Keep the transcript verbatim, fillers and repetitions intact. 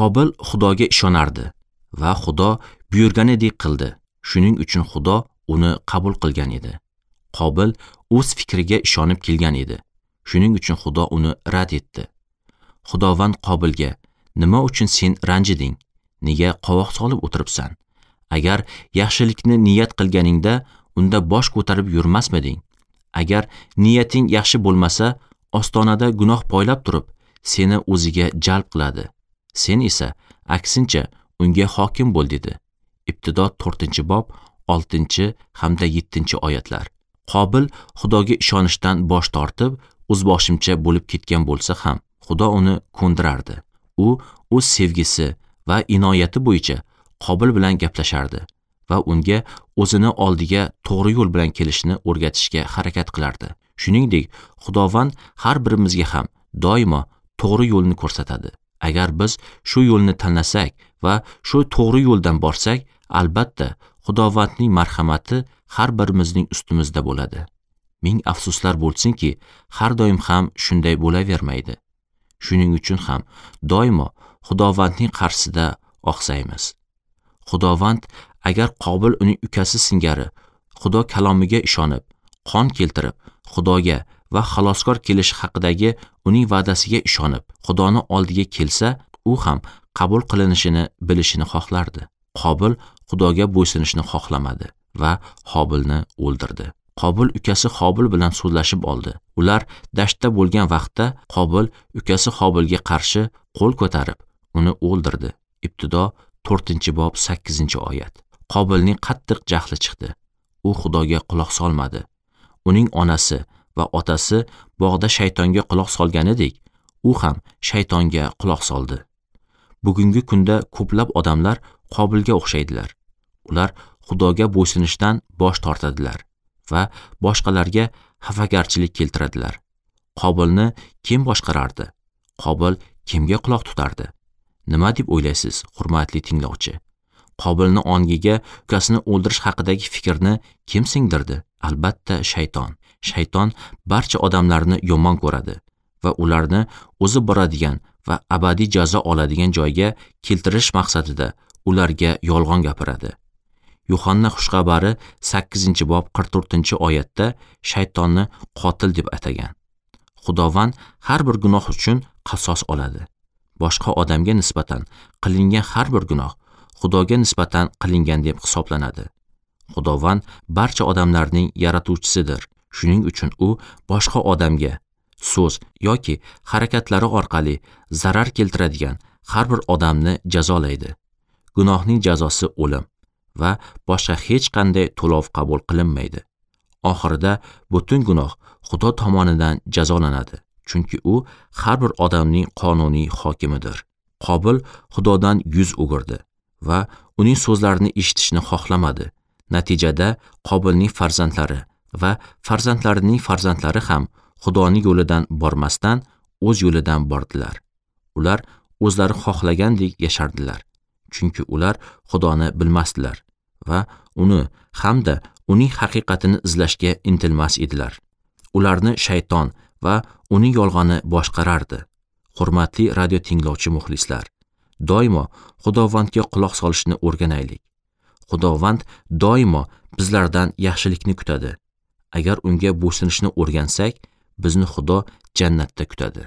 Qobil Xudoga ishonardi va Xudo buyurganidek qildi. Shuning uchun Xudo uni qabul qilgan edi. Qobil o'z fikriga ishonib kelgan edi. Shuning uchun Xudo uni rad etdi. Xudovand Qobilga: "Nima uchun sen ranjiding? Nega qovoq solib o'tiribsan? Agar yaxshilikni niyat qilganingda, unda bosh ko'tarib yurmasmiding? Agar niyating yaxshi bo'lmasa, ostonada gunoh poylab turib, seni o'ziga jalb qiladi. Sen esa aksincha unga hokim bo'l" dedi. Ibtido to'rtinchi bob oltinchi hamda yettinchi oyatlar. Qobil Xudoga ishonishdan bosh tortib, o'zboshimcha bo'lib ketgan bo'lsa ham, Xudo uni ko'ndirardi. U o'z sevgisi va inoyati bo'yicha Qobil bilan gaplashardi va unga o'zini oldiga to'g'ri yo'l bilan kelishni o'rgatishga harakat qilardi. Shuningdek, Xudovand har birimizga ham doimo to'g'ri yo'lni ko'rsatadi. Agar biz shu yo'lni tanlasak va shu to'g'ri yo'ldan borsak, albatta Xudovandning marhamati har birimizning ustimizda bo'ladi. Ming afsuslar bo'lsinki, har doim ham shunday bo'lavermaydi. Shuning uchun ham doimo Xudovandning qarshisida oqsaymiz. Xudovand agar Qobil uning ukasi singari Xudo kalomiga ishonib, qon keltirib, Xudoga va xaloskor kelishi haqidagi uning va'dasiga ishonib, Xudoni oldiga kelsa, u ham qabul qilinishini bilishini xohlardi. Qobil Xudoga bo'ysunishni xohlamadi va Hobilni o'ldirdi. Qobil ukasi Hobil bilan so'zlashib oldi. Ular dashtda bo'lgan vaqtda Qobil ukasi Hobilga qarshi qo'l ko'tarib, uni o'ldirdi. Ibtido to'rtinchi bob sakkizinchi oyat. Qobilning qattiq jahli chiqdi. U Xudoga quloq solmadi. Uning onasi va otasi bog'da shaytonga quloq solganidek, u ham shaytonga quloq soldi. Bugungi kunda ko'plab odamlar Qobilga o'xshaydilar. Ular Xudoga bo'ysunishdan bosh tortadilar va boshqalarga xafagarchilik keltiradilar. Qobilni kim boshqarardi? Qobil kimga quloq tutardi? Nima deb o'ylaysiz, hurmatli tinglovchi? Qobilni ongiga ukasini o'ldirish haqidagi fikrni kim singdirdi? Albatta shayton. Shayton barcha odamlarni yomon ko'radi va ularni o'zi boradigan va abadiy jazo oladigan joyga keltirish maqsadida ularga yolg'on gapiradi. Yuhanna xushxabari sakkizinchi bob qirq to'rtinchi oyatda shaytonni qotil deb atagan. Xudovand har bir gunoh uchun qasos oladi. Boshqa odamga nisbatan qilingan har bir gunoh Xudoga nisbatan qilingan deb hisoblanadi. Xudovand barcha odamlarning yaratuvchisidir. Shuning uchun u boshqa odamga so'z yoki harakatlari orqali zarar keltiradigan har bir odamni jazolaydi. Gunohning jazosi o'lim va boshqa hech qanday to'lov qabul qilinmaydi. Oxirida butun gunoh Xudo tomonidan jazolanadi, chunki u har bir odamning qonuniy hokimidir. Qobil Xudodan yuz o'girdi va uning so'zlarini eshitishni xohlamadi. Natijada Qobilning farzandlari va farzandlarining farzandlari ham Xudoning yo'lidan bormasdan o'z yo'lidan bordilar. Ular o'zlari xohlagandek yashardilar, chunki ular Xudoni bilmasdilar va uni hamda uning haqiqatini izlashga intilmas edilar. Ularni shayton va uning yolg'oni boshqarardi. Hurmatli radio tinglovchi muxlislar, doimo Xudovandga quloq solishni o'rganaylik. Xudovand doimo bizlardan yaxshilikni kutadi. Agar unga bo'ysunishni o'rgansak, bizni Xudo jannatda kutadi.